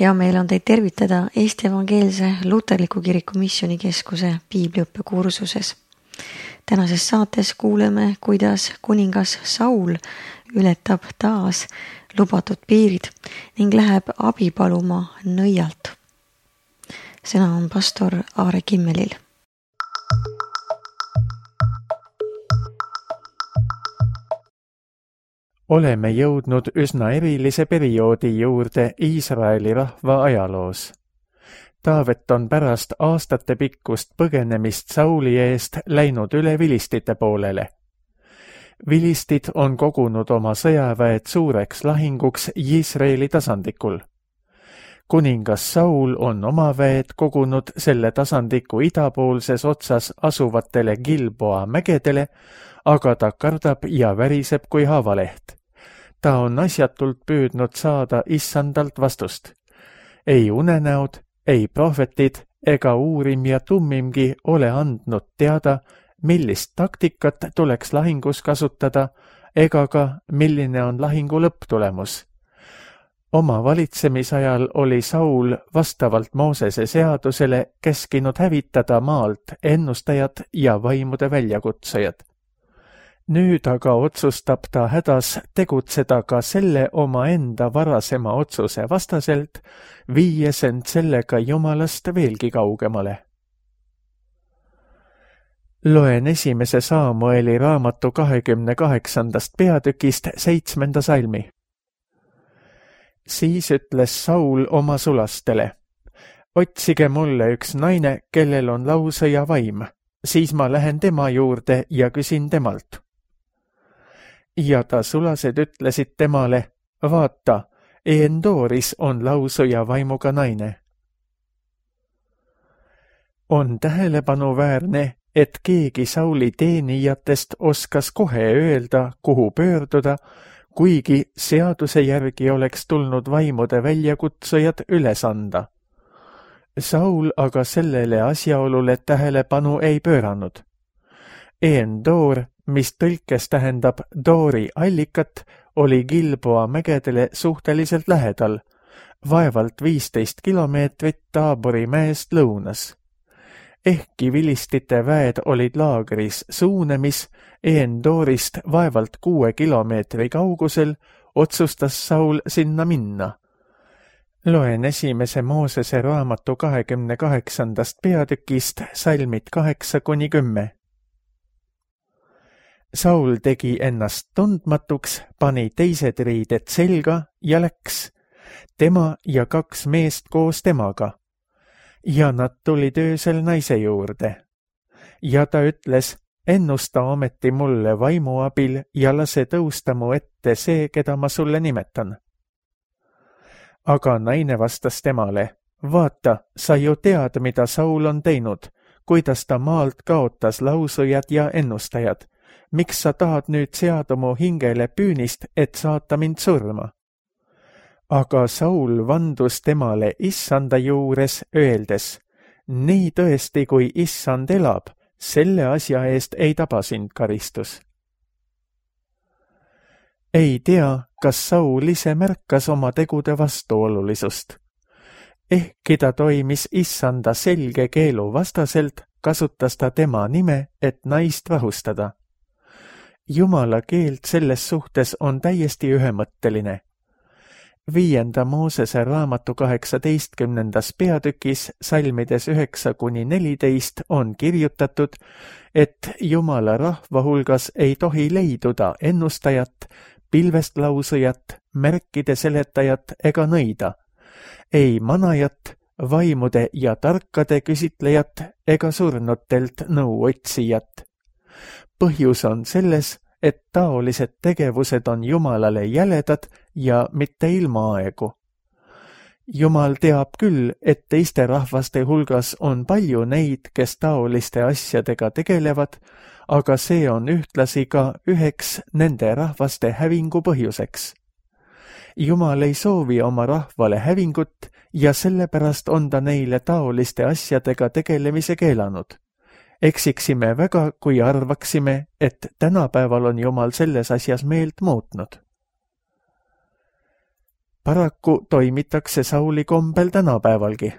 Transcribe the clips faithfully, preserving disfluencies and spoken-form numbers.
Hea meel on teid tervitada Eesti Evangeelse Luterliku Kiriku Missioonikeskuse piibliõppe kursuses. Tänases saates kuuleme, kuidas kuningas Saul ületab taas lubatud piirid ning läheb abi paluma nõialt. Sõna on pastor Aare Kimmelil. Oleme jõudnud üsna erilise perioodi juurde Iisraeli rahva ajaloos. Taavet on pärast aastate pikkust põgenemist Sauli eest läinud üle vilistite poolele. Vilistid on kogunud oma sõjaväed suureks lahinguks Iisraeli tasandikul. Kuningas Saul on oma väed kogunud selle tasandiku idapoolses otsas asuvatele Gilboa mägedele, aga ta kardab ja väriseb kui haavaleht. Ta on asjatult püüdnud saada issandalt vastust. Ei unenäod, ei prohvetid ega uurim ja tummimgi ole andnud teada, millist taktikat tuleks lahingus kasutada ega ka milline on lahingu lõpptulemus. Oma valitsemisajal oli Saul vastavalt Moosese seadusele käskinud hävitada maalt ennustajad ja vaimude väljakutsujad. Nüüd aga otsustab ta hädas tegutseda ka selle oma enda varasema otsuse vastaselt, viies end sellega Jumalast veelgi kaugemale. Loen esimese Saamueli raamatu kahekümne kaheksandast peatükist seitsmenda salmi. Siis ütles Saul oma sulastele, otsige mulle üks naine, kellel on lausõja vaim, siis ma lähen tema juurde ja küsin temalt. Ja ta sulased ütlesid temale, vaata, Endooris on lausõja vaimuga naine. On tähelepanuväärne, et keegi Sauli teenijatest oskas kohe öelda, kuhu pöörduda, kuigi seaduse järgi oleks tulnud vaimude väljakutsujad üles anda. Saul aga sellele asjaolule tähelepanu ei pööranud. Endoor, mis tõlkes tähendab Doori allikat, oli Gilboa mägedele suhteliselt lähedal, vaevalt viisteist kilomeetrit Taabori mäest lõunas. Ehkki vilistite väed olid laagris Suunemis, Endoorist vaevalt kuue kilomeetri kaugusel, otsustas Saul sinna minna. Loen esimese Moosese raamatu kahekümne kaheksandast peatükist salmid kaheksa kuni kümme. Saul tegi ennast tundmatuks, pani teised riided selga ja läks, tema ja kaks meest koos temaga. Ja nad tulid öösel naise juurde. Ja ta ütles, ennusta ometi mulle vaimu abil ja lase tõusta mu ette see, keda ma sulle nimetan. Aga naine vastas temale, vaata, sa ju tead, mida Saul on teinud, kuidas ta maalt kaotas lausujad ja ennustajad. Miks sa tahad nüüd seada mu hingele püünist, et saata mind surma? Aga Saul vandus temale issanda juures öeldes, nii tõesti kui issand elab, selle asja eest ei taba sind karistus. Ei tea, kas Saul ise märkas oma tegude vastuolulisust. Ehkki ta toimis issanda selge keelu vastaselt, kasutas ta tema nime, et naist rahustada. Jumala keelt selles suhtes on täiesti ühemõtteline. Viienda Moosese raamatu kaheksateistkümnendas peatükis salmides üheksa kuni neliteist on kirjutatud, et Jumala rahva hulgas ei tohi leiduda ennustajat, pilvest lausujat, märkide seletajat ega nõida, ei manajat, vaimude ja tarkade küsitlejat ega surnutelt nõu otsijat. Põhjus on selles, et taolised tegevused on Jumalale jäledad ja mitte ilmaaegu. Jumal teab küll, et teiste rahvaste hulgas on palju neid, kes taoliste asjadega tegelevad, aga see on ühtlasi ka üheks nende rahvaste hävingu põhjuseks. Jumal ei soovi oma rahvale hävingut ja sellepärast on ta neile taoliste asjadega tegelemise keelanud. Eksiksime väga, kui arvaksime, et tänapäeval on Jumal selles asjas meelt muutnud. Paraku toimitakse Sauli kombel tänapäevalgi.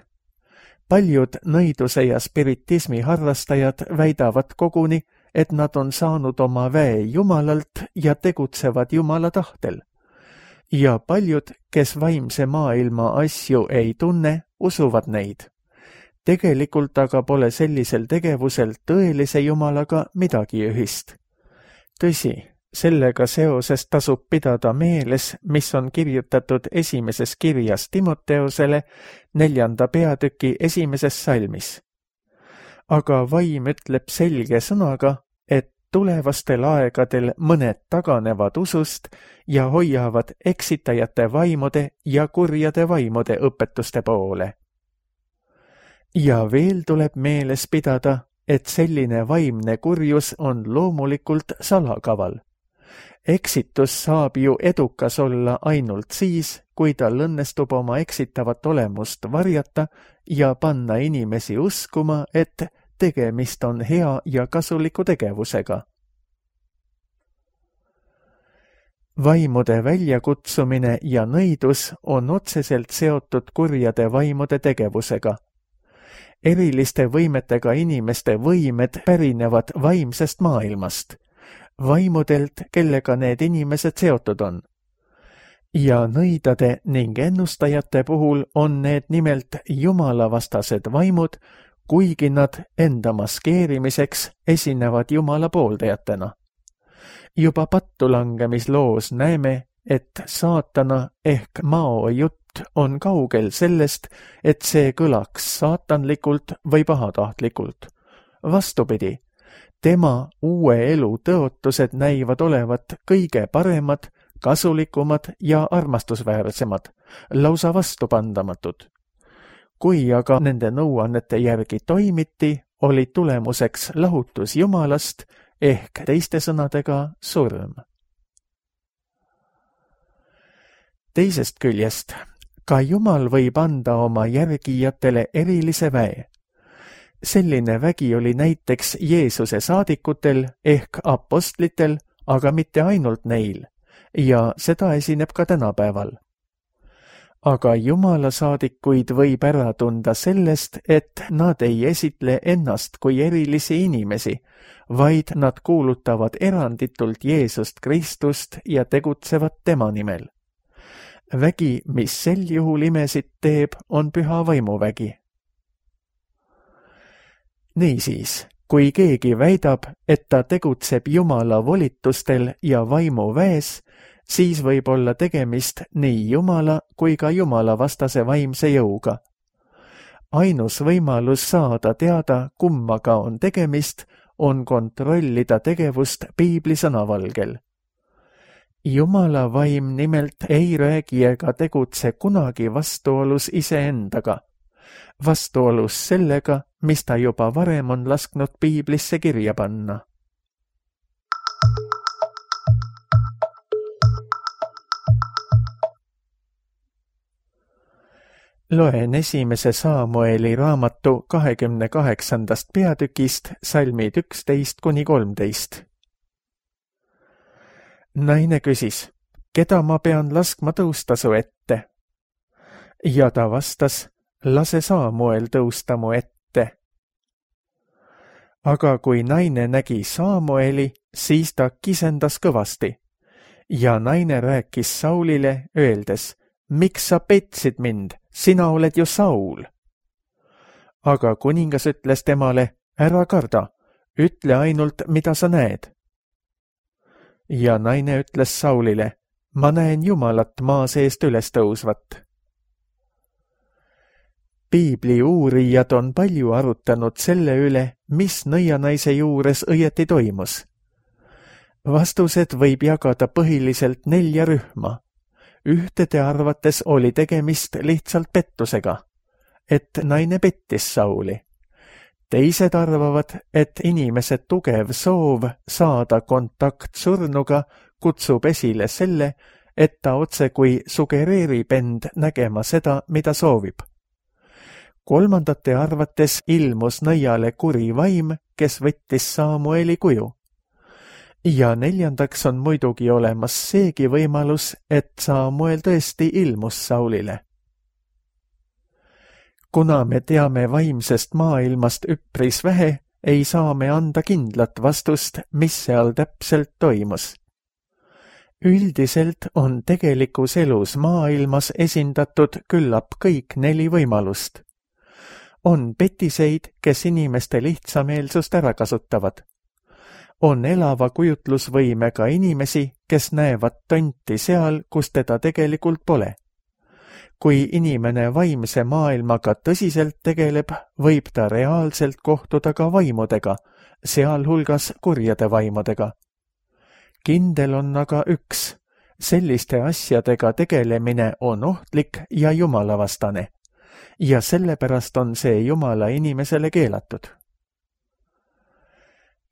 Paljud nõiduse ja spiritismi harrastajad väidavad koguni, et nad on saanud oma väe Jumalalt ja tegutsevad Jumala tahtel. Ja paljud, kes vaimse maailma asju ei tunne, usuvad neid. Tegelikult aga pole sellisel tegevusel tõelise Jumalaga midagi ühist. Tõsi, sellega seoses tasub pidada meeles, mis on kirjutatud esimeses kirjas Timoteusele neljanda peatüki esimeses salmis. Aga vaim ütleb selge sõnaga, et tulevastel aegadel mõned taganevad usust ja hoiavad eksitajate vaimude ja kurjade vaimude õpetuste poole. Ja veel tuleb meeles pidada, et selline vaimne kurjus on loomulikult salakaval. Eksitus saab ju edukas olla ainult siis, kui tal õnnestub oma eksitavat olemust varjata ja panna inimesi uskuma, et tegemist on hea ja kasuliku tegevusega. Vaimude väljakutsumine ja nõidus on otseselt seotud kurjade vaimude tegevusega. Eriliste võimetega inimeste võimed pärinevad vaimsest maailmast, vaimudelt, kellega need inimesed seotud on. Ja nõidade ning ennustajate puhul on need nimelt jumalavastased vaimud, kuigi nad enda maskeerimiseks esinevad Jumala pooldajatena. Juba pattulangamisloos näeme, et saatana ehk Mao jutt on kaugel sellest, et see kõlaks saatanlikult või pahatahtlikult. Vastupidi, tema uue elu tõotused näivad olevat kõige paremad, kasulikumad ja armastusväärsemad, lausa vastupandamatud. Kui aga nende nõuannete järgi toimiti, oli tulemuseks lahutus Jumalast ehk teiste sõnadega surm. Teisest küljest, ka Jumal võib anda oma järgijatele erilise väe. Selline vägi oli näiteks Jeesuse saadikutel ehk apostlitel, aga mitte ainult neil, ja seda esineb ka tänapäeval. Aga Jumala saadikuid võib ära tunda sellest, et nad ei esitle ennast kui erilisi inimesi, vaid nad kuulutavad eranditult Jeesust Kristust ja tegutsevad tema nimel. Vägi, mis sel juhul imesid teeb, on püha vaimuvägi. Niisiis, kui keegi väidab, et ta tegutseb Jumala volitustel ja vaimuväes, siis võib olla tegemist nii Jumala kui ka Jumala vastase vaimse jõuga. Ainus võimalus saada teada, kummaga on tegemist, on kontrollida tegevust piibli sõnavalgel. Jumala vaim nimelt ei räägi ega tegutse kunagi vastuolus iseendaga, vastuolus sellega, mis ta juba varem on lasknud piiblisse kirja panna. Loen esimese Saamueli raamatu kahekümne kaheksandast peatükist salmid üksteist kuni kolmteist. Naine küsis, keda ma pean laskma tõusta su ette? Ja ta vastas, lase Saamuel tõusta mu ette. Aga kui naine nägi Saamueli, siis ta kisendas kõvasti. Ja naine rääkis Saulile, öeldes, miks sa petsid mind, sina oled ju Saul. Aga kuningas ütles temale, ära karda, ütle ainult, mida sa näed. Ja naine ütles Saulile, ma näen Jumalat maa seest üles tõusvat. Piibli uurijad on palju arutanud selle üle, mis nõianaise juures õieti toimus. Vastused võib jagada põhiliselt nelja rühma. Ühtede arvates oli tegemist lihtsalt pettusega, et naine pettis Sauli. Teised arvavad, et inimese tugev soov saada kontakt surnuga kutsub esile selle, et ta otse kui sugereerib end nägema seda, mida soovib. Kolmandate arvates ilmus nõiale kuri vaim, kes võttis Saamueli kuju. ja neljandaks on muidugi olemas seegi võimalus, et Samuel tõesti ilmus Saulile. Kuna me teame vaimsest maailmast üpris vähe, ei saa me anda kindlat vastust, mis seal täpselt toimus. Üldiselt on tegelikus elus maailmas esindatud küllap kõik neli võimalust. On petiseid, kes inimeste lihtsameelsust ära kasutavad. On elava kujutlusvõimega inimesi, kes näevad tonti seal, kus teda tegelikult pole. Kui inimene vaimse maailmaga tõsiselt tegeleb, võib ta reaalselt kohtuda ka vaimudega, sealhulgas kurjade vaimudega. Kindel on aga üks, selliste asjadega tegelemine on ohtlik ja jumalavastane, ja sellepärast on see Jumala inimesele keelatud.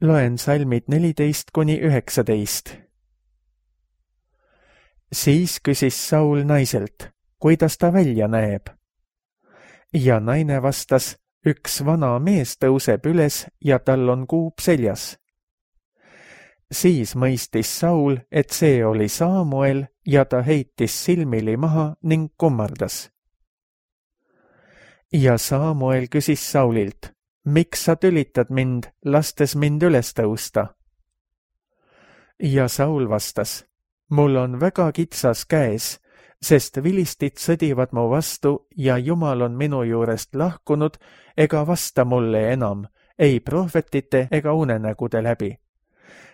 Loen salmid neliteist kuni üheksateist. Siis küsis Saul naiselt, kuidas ta välja näeb. Ja naine vastas, üks vana mees tõuseb üles ja tal on kuup seljas. Siis mõistis Saul, et see oli Samuel ja ta heitis silmili maha ning kummardas. Ja Samuel küsis Saulilt, miks sa tülitad mind, lastes mind üles tõusta? Ja Saul vastas, mul on väga kitsas käes, sest vilistid sõdivad mu vastu ja Jumal on minu juurest lahkunud ega vasta mulle enam, ei prohvetite ega unenägude läbi.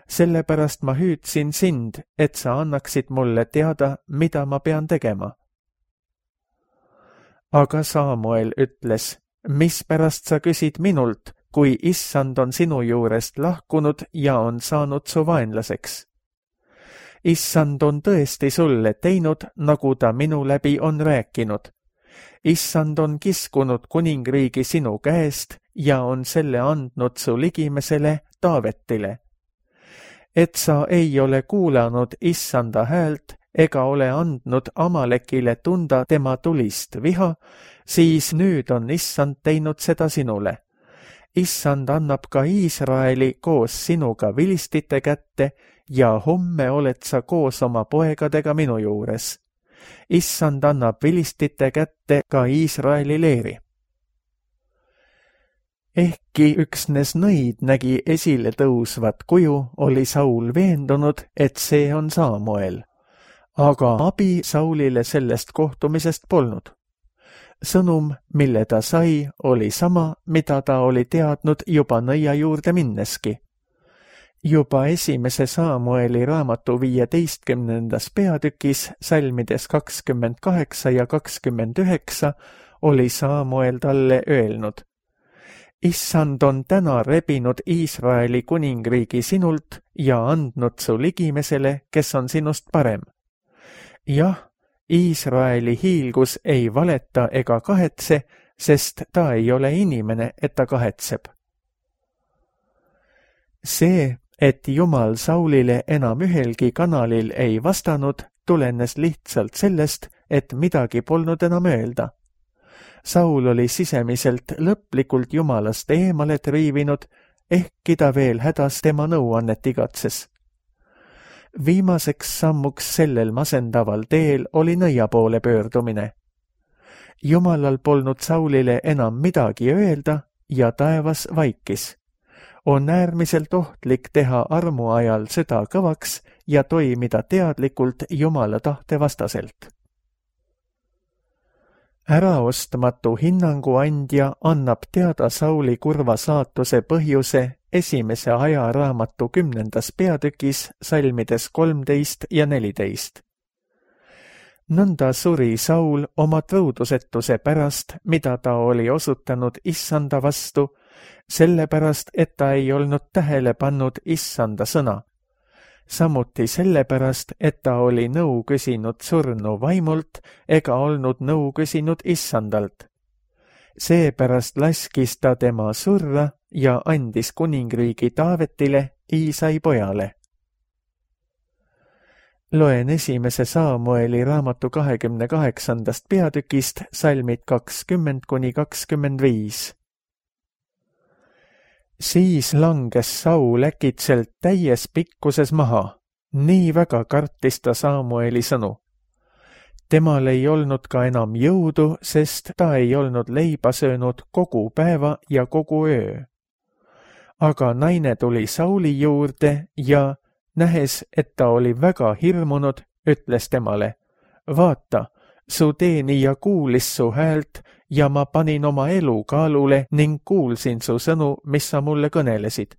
Sellepärast ma hüüdsin sind, et sa annaksid mulle teada, mida ma pean tegema. Aga Samuel ütles, mispärast sa küsid minult, kui issand on sinu juurest lahkunud ja on saanud su vaenlaseks? Issand on tõesti sulle teinud, nagu ta minu läbi on rääkinud. Issand on kiskunud kuningriigi sinu käest ja on selle andnud su ligimesele Taavetile. Et sa ei ole kuulanud issanda häält ega ole andnud Amalekile tunda tema tulist viha, siis nüüd on issand teinud seda sinule. Issand annab ka Iisraeli koos sinuga vilistite kätte ja homme oled sa koos oma poegadega minu juures. Issand annab vilistite kätte ka Iisraeli leeri. Ehkki üksnes nõid nägi esile tõusvat kuju, oli Saul veendunud, et see on Samuel. Aga abi Saulile sellest kohtumisest polnud. Sõnum, mille ta sai, oli sama, mida ta oli teadnud juba nõia juurde minneski. Juba esimese Samueli raamatu viieteistkümnendas peatükis, salmides kakskümmend kaheksa ja kakskümmend üheksa, oli Samuel talle öelnud. Issand on täna rebinud Iisraeli kuningriigi sinult ja andnud su ligimesele, kes on sinust parem. Jah, Iisraeli hiilgus ei valeta ega kahetse, sest ta ei ole inimene, et ta kahetseb. See, et Jumal Saulile enam ühelgi kanalil ei vastanud, tulenes lihtsalt sellest, et midagi polnud enam öelda. Saul oli sisemiselt lõplikult Jumalast eemale triivinud, ehkki ta veel hädas tema nõuannet igatses. Viimaseks sammuks sellel masendaval teel oli nõia poole pöördumine. Jumalal polnud Saulile enam midagi öelda ja taevas vaikis. On äärmiselt ohtlik teha armu ajal süda kõvaks ja toimida teadlikult Jumala tahte vastaselt. Äraostmatu hinnangu andja annab teada Sauli kurva saatuse põhjuse esimese ajaraamatu kümnendas peatükis salmides kolmteist ja neliteist. Nõnda suri Saul oma tõudusetuse pärast, mida ta oli osutanud issanda vastu, sellepärast, et ta ei olnud tähele pannud issanda sõna. Samuti sellepärast, et ta oli nõu küsinud surnu vaimult ega olnud nõu küsinud issandalt. Seepärast laskis ta tema surra ja andis kuningriigi Taavetile, Iisai pojale. Loen esimese Samueli raamatu kahekümne kaheksandast peatükist salmid kakskümmend kuni kakskümmend viis. Siis langes Saul äkitselt täies pikkuses maha, nii väga kartis ta Samueli sõnu. Temal ei olnud ka enam jõudu, sest ta ei olnud leiba söönud kogu päeva ja kogu öö. Aga naine tuli Sauli juurde ja, nähes, et ta oli väga hirmunud, ütles temale: vaata, su teenija kuulis su häält ja ma panin oma elu kaalule ning kuulsin su sõnu, mis sa mulle kõnelesid.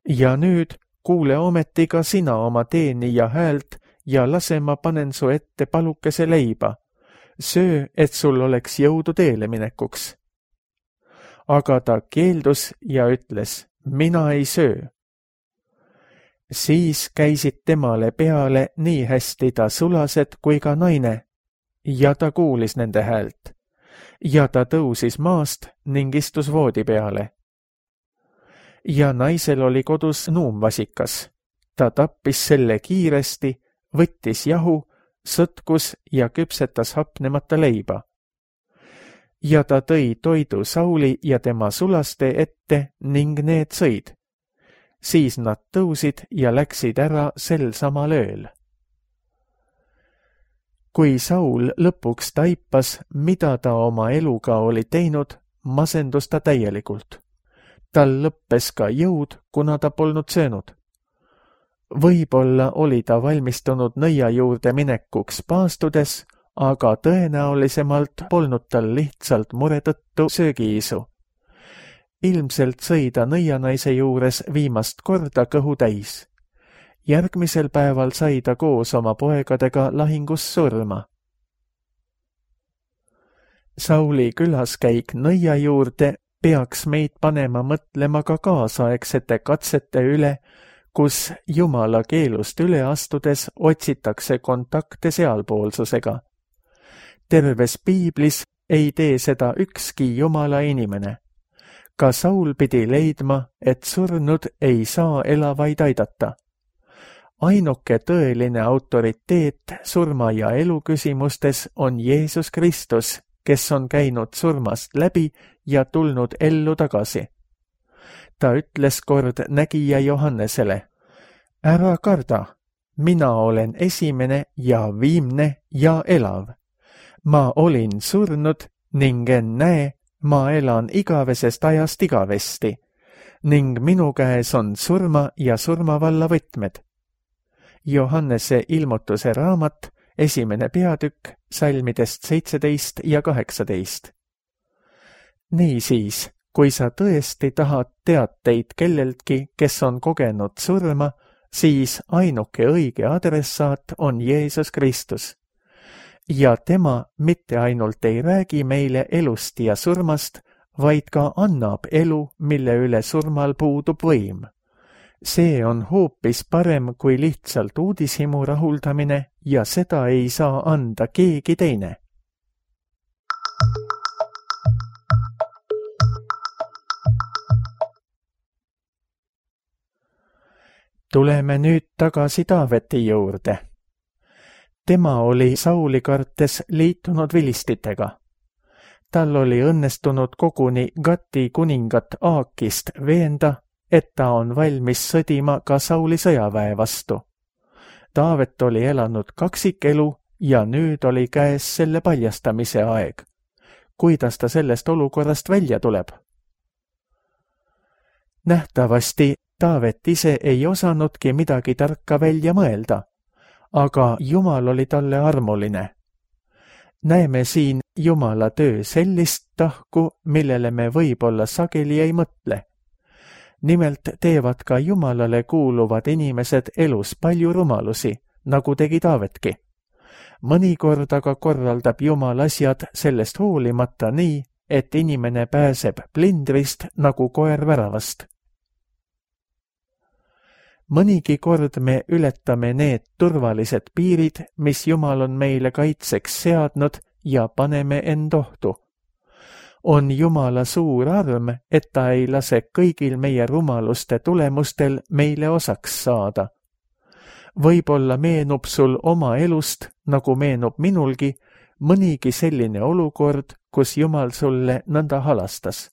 Ja nüüd kuule ometi ka sina oma teenija häält ja lase ma panen su ette palukese leiba. Söö, et sul oleks jõudu teele minekuks. Aga ta keeldus ja ütles: mina ei söö. Siis käisid temale peale nii hästi ta sulased kui ka naine, ja ta kuulis nende häält. Ja ta tõusis maast ning istus voodi peale. Ja naisel oli kodus nuumvasikas. Ta tappis selle kiiresti, võttis jahu, sõtkus ja küpsetas hapnemata leiba. Ja ta tõi toidu Sauli ja tema sulaste ette ning need sõid. Siis nad tõusid ja läksid ära sel samal ööl. Kui Saul lõpuks taipas, mida ta oma eluga oli teinud, masendus ta täielikult. Tal lõppes ka jõud, kuna ta polnud söönud. Võib-olla oli ta valmistunud nõia juurde minekuks paastudes, aga tõenäolisemalt polnud tal lihtsalt mure tõttu söögiisu. Ilmselt sõi ta nõianaise juures viimast korda kõhu täis. Järgmisel päeval sai ta koos oma poegadega lahingus surma. Sauli külaskäik nõia juurde peaks meid panema mõtlema ka kaasaegsete katsete üle, kus Jumala keelust üle astudes otsitakse kontakte sealpoolsusega. Terves piiblis ei tee seda ükski Jumala inimene. Ka Saul pidi leidma, et surnud ei saa elavaid aidata. Ainuke tõeline autoriteet surma ja elu küsimustes on Jeesus Kristus, kes on käinud surmast läbi ja tulnud ellu tagasi. Ta ütles kord nägija Johannesele: ära karda, mina olen esimene ja viimne ja elav. Ma olin surnud ning ennäe, ma elan igavesest ajast igavesti ning minu käes on surma ja surmavalla võtmed. Johannese ilmutuse raamat, esimene peatükk, salmidest seitseteist ja kaheksateist. Niisiis, kui sa tõesti tahad teateid kelleltki, kes on kogenud surma, siis ainuke õige adressaat on Jeesus Kristus. Ja tema mitte ainult ei räägi meile elust ja surmast, vaid ka annab elu, mille üle surmal puudub võim. See on hoopis parem kui lihtsalt uudishimu rahuldamine ja seda ei saa anda keegi teine. Tuleme nüüd tagasi Taaveti juurde. Tema oli Sauli kartes liitunud vilistitega. Tal oli õnnestunud koguni Gati kuningat Aakist veenda, et ta on valmis sõdima ka Sauli sõjaväe vastu. Taavet oli elanud kaksikelu ja nüüd oli käes selle paljastamise aeg. Kuidas ta sellest olukorrast välja tuleb? Nähtavasti Taavet ise ei osanudki midagi tarka välja mõelda, aga Jumal oli talle armuline. Näeme siin Jumala töö sellist tahku, millele me võib-olla sageli ei mõtle. Nimelt teevad ka Jumalale kuuluvad inimesed elus palju rumalusi, nagu tegi Taavetki. Mõnikord aga korraldab Jumal asjad sellest hoolimata nii, et inimene pääseb plindrist nagu koer väravast. Mõnigi kord me ületame need turvalised piirid, mis Jumal on meile kaitseks seadnud ja paneme end ohtu. On Jumala suur arm, et ta ei lase kõigil meie rumaluste tulemustel meile osaks saada. Võib-olla meenub sul oma elust, nagu meenub minulgi, mõnigi selline olukord, kus Jumal sulle nõnda halastas.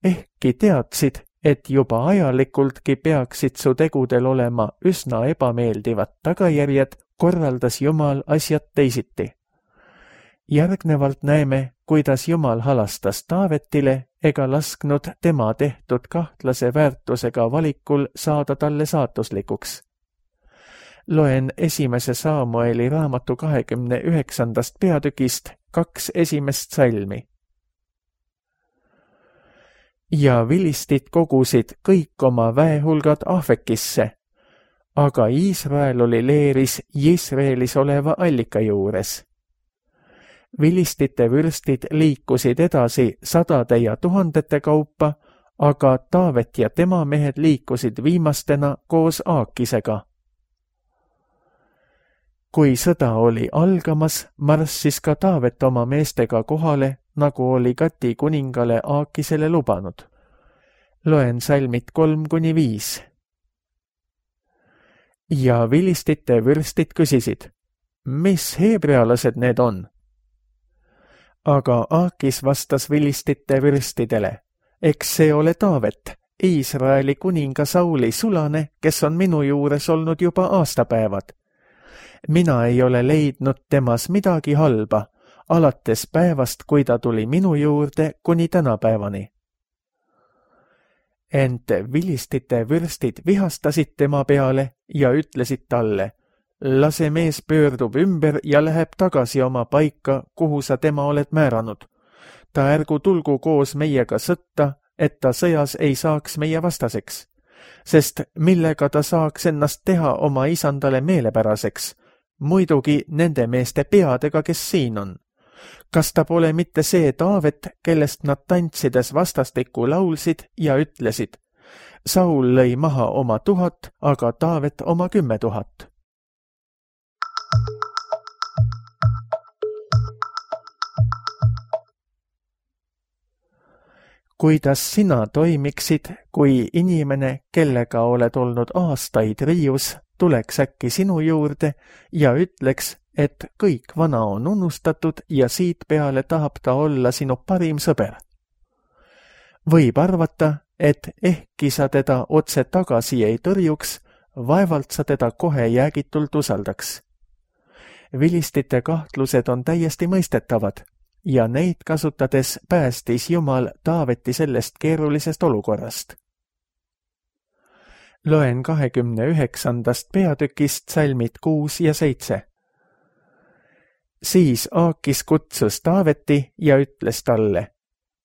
Ehk ehkki teadsid, et juba ajalikultki peaksid su tegudel olema üsna ebameeldivad tagajärjed, korraldas Jumal asjad teisiti. Järgnevalt näeme, kuidas Jumal halastas Taavetile ega lasknud tema tehtud kahtlase väärtusega valikul saada talle saatuslikuks. Loen esimese Saamueli raamatu kahekümne üheksandast peatükist kaks esimest salmi. Ja vilistid kogusid kõik oma väehulgad Ahvekisse, aga Iisrael oli leeris Jisreelis oleva allika juures. Vilistite vürstid liikusid edasi sadade ja tuhandete kaupa, aga Taavet ja tema mehed liikusid viimastena koos Aakisega. Kui sõda oli algamas, marssis ka Taavet oma meestega kohale, nagu oli Gati kuningale Aakisele lubanud. Loen salmid kolm kuni viis. Ja vilistite vürstid küsisid, mis heebrealased need on? Aga Aakis vastas vilistite vürstidele, eks see ole Taavet, Iisraeli kuninga Sauli sulane, kes on minu juures olnud juba aastapäevad. Mina ei ole leidnud temas midagi halba, alates päevast, kui ta tuli minu juurde kuni tänapäevani. Ent vilistite vürstid vihastasid tema peale ja ütlesid talle, lase mees pöördub ümber ja läheb tagasi oma paika, kuhu sa tema oled määranud. Ta ärgu tulgu koos meiega sõtta, et ta sõjas ei saaks meie vastaseks, sest millega ta saaks ennast teha oma isandale meelepäraseks, muidugi nende meeste peadega, kes siin on. Kas ta pole mitte see Taavet, kellest nad tantsides vastastikku laulsid ja ütlesid, Saul lõi maha oma tuhat, aga Taavet oma kümme tuhat. Kuidas sina toimiksid, kui inimene, kellega oled olnud aastaid riius, tuleks äkki sinu juurde ja ütleks, et kõik vana on unustatud ja siit peale tahab ta olla sinu parim sõber. Võib arvata, et ehkki sa teda otse tagasi ei tõrjuks, vaevalt sa teda kohe jäägitult usaldaks. Vilistite kahtlused on täiesti mõistetavad ja neid kasutades päästis Jumal Taaveti sellest keerulisest olukorrast. Loen kahekümne üheksandast peatükist salmid kuus ja seitse. Siis Aakis kutsus Taaveti ja ütles talle,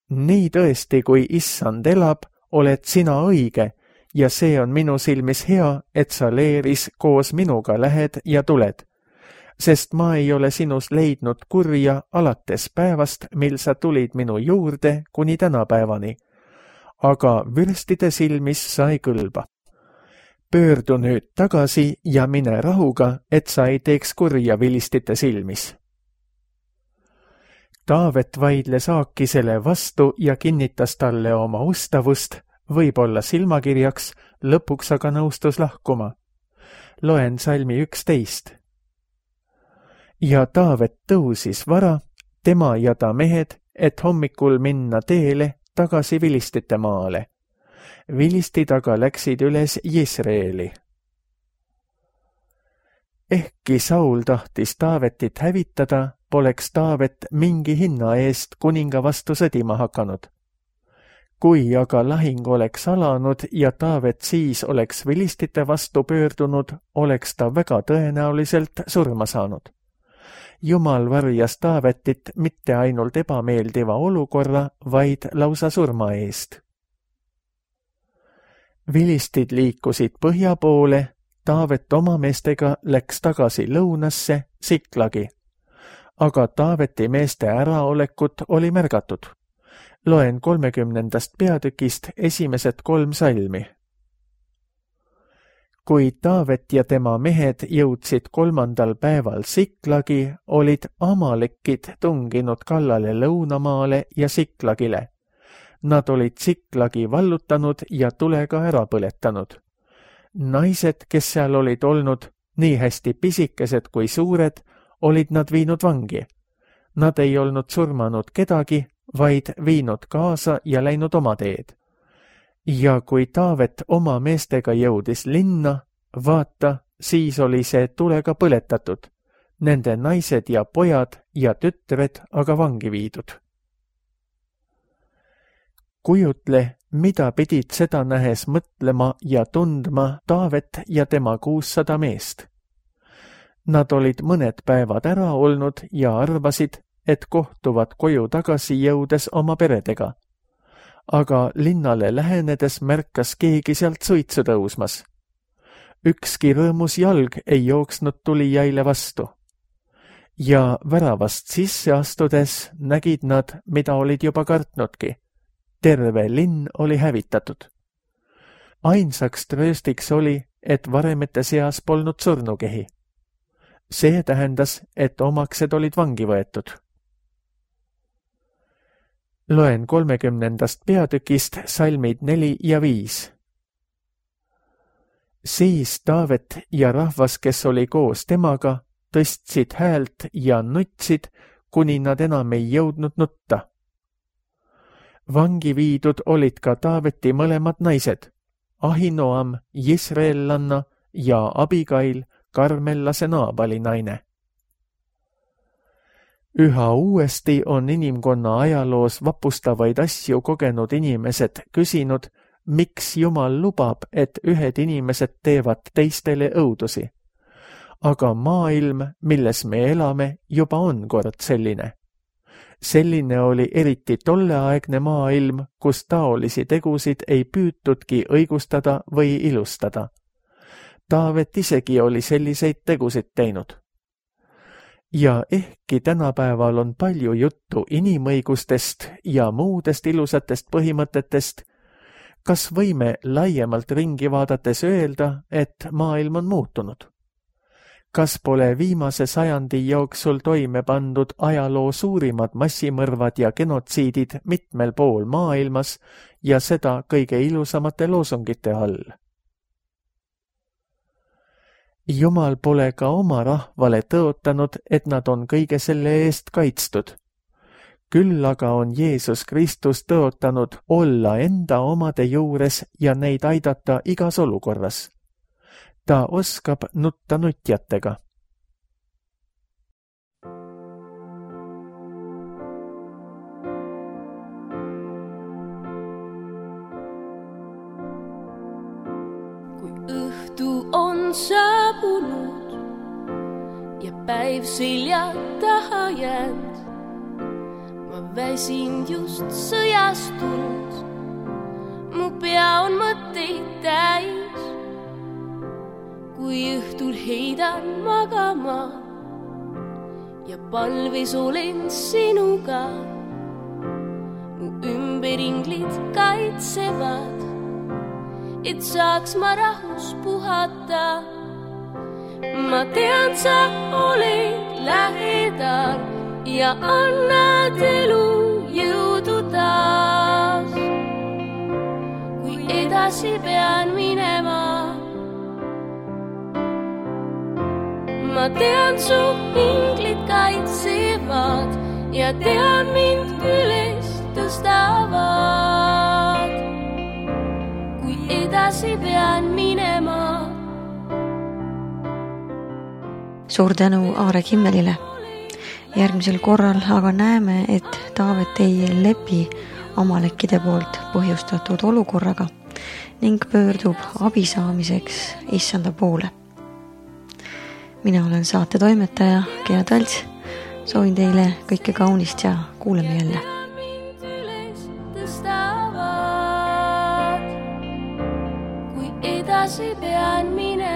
nii tõesti, kui issand elab, oled sina õige ja see on minu silmis hea, et sa leeris koos minuga lähed ja tuled, sest ma ei ole sinus leidnud kurja alates päevast, mil sa tulid minu juurde kuni tänapäevani, aga vürstide silmis sa ei kõlba. Pöördu nüüd tagasi ja mine rahuga, et sa ei teeks kurja vilistite silmis. Taavet vaidles Aakisele vastu ja kinnitas talle oma ustavust, võib-olla silmakirjaks, lõpuks aga nõustus lahkuma. Loen salmi üksteist. Ja Taavet tõusis vara, tema ja ta mehed, et hommikul minna teele tagasi vilistite maale. Vilistid aga läksid üles Jisreeli. Ehkki Saul tahtis Taavetit hävitada, poleks Taavet mingi hinna eest kuninga vastu sõdima hakanud. Kui aga lahing oleks alanud ja Taavet siis oleks vilistite vastu pöördunud, oleks ta väga tõenäoliselt surma saanud. Jumal varjas Taavetit mitte ainult ebameeldiva olukorra, vaid lausa surma eest. Vilistid liikusid põhja poole, Taavet oma meestega läks tagasi lõunasse Siklagi. Aga Taaveti meeste äraolekut oli märgatud. Loen kolmekümnendast peatükist esimesed kolm salmi. Kui Taavet ja tema mehed jõudsid kolmandal päeval Siklagi, olid Amalekid tunginud kallale lõunamaale ja Siklagile. Nad olid Siklagi vallutanud ja tulega ära põletanud. Naised, kes seal olid olnud, nii hästi pisikesed kui suured, olid nad viinud vangi. Nad ei olnud surmanud kedagi, vaid viinud kaasa ja läinud oma teed. Ja kui Taavet oma meestega jõudis linna, vaata, siis oli see tulega põletatud, nende naised ja pojad ja tütred aga vangi viidud. Kujutle, mida pidid seda nähes mõtlema ja tundma Taavet ja tema kuussada meest. Nad olid mõned päevad ära olnud ja arvasid, et kohtuvad koju tagasi jõudes oma peredega. Aga linnale lähenedes märkas keegi sealt suitsu tõusmas. Ükski rõõmus jalg ei jooksnud tulijaile vastu. Ja väravast sisse astudes nägid nad, mida olid juba kartnudki. Terve linn oli hävitatud. Ainsaks trööstiks oli, et varemete seas polnud surnukehi. See tähendas, et omaksed olid vangi võetud. Loen kolmekümnendast peatükist salmid neli ja viis. Siis Taavet ja rahvas, kes oli koos temaga, tõstsid häält ja nutsid, kuni nad enam ei jõudnud nutta. Vangi viidud olid ka Taaveti mõlemad naised, Ahinoam, Jisraellanna ja Abigail, Karmellase Naabali naine. Üha uuesti on inimkonna ajaloos vapustavaid asju kogenud inimesed küsinud, miks Jumal lubab, et ühed inimesed teevad teistele õudusi. Aga maailm, milles me elame, juba on kord selline. Selline oli eriti tolleaegne maailm, kus taolisi tegusid ei püütudki õigustada või ilustada. Taavet isegi oli selliseid tegusid teinud. Ja ehkki tänapäeval on palju juttu inimõigustest ja muudest ilusatest põhimõtetest, kas võime laiemalt ringi vaadates öelda, et maailm on muutunud? Kas pole viimase sajandi jooksul toime pandud ajaloo suurimad massimõrvad ja genotsiidid mitmel pool maailmas ja seda kõige ilusamate loosungite all? Jumal pole ka oma rahvale tõotanud, et nad on kõige selle eest kaitstud. Küll aga on Jeesus Kristus tõotanud olla enda omade juures ja neid aidata igas olukorras. Ta oskab nutta nutjatega. Kui õhtu on saabunud ja päev selja taha jäänud, ma väsin just sõjast tulnud, mu pea on mõtteid täis. Kui õhtul heidan magama ja palves olen sinuga, mu ümberinglid kaitsevad, et saaks ma rahus puhata. Ma tean, sa oled lähedal ja annad elu jõudu taas. Kui edasi pean minema, ma tean, su inglid kaitsevad ja tean, mind üles tõstavad. Kui edasi pean minema. Suur tänu Aare Kimmelile. Järgmisel korral aga näeme, et Taavet ei lepi amalekkide poolt põhjustatud olukorraga ning pöördub abi saamiseks issanda poole. Mina olen saate toimetaja Gea Talts. Soovin teile kõike kaunist ja kuuleme jälle. Kui edasi pean minema.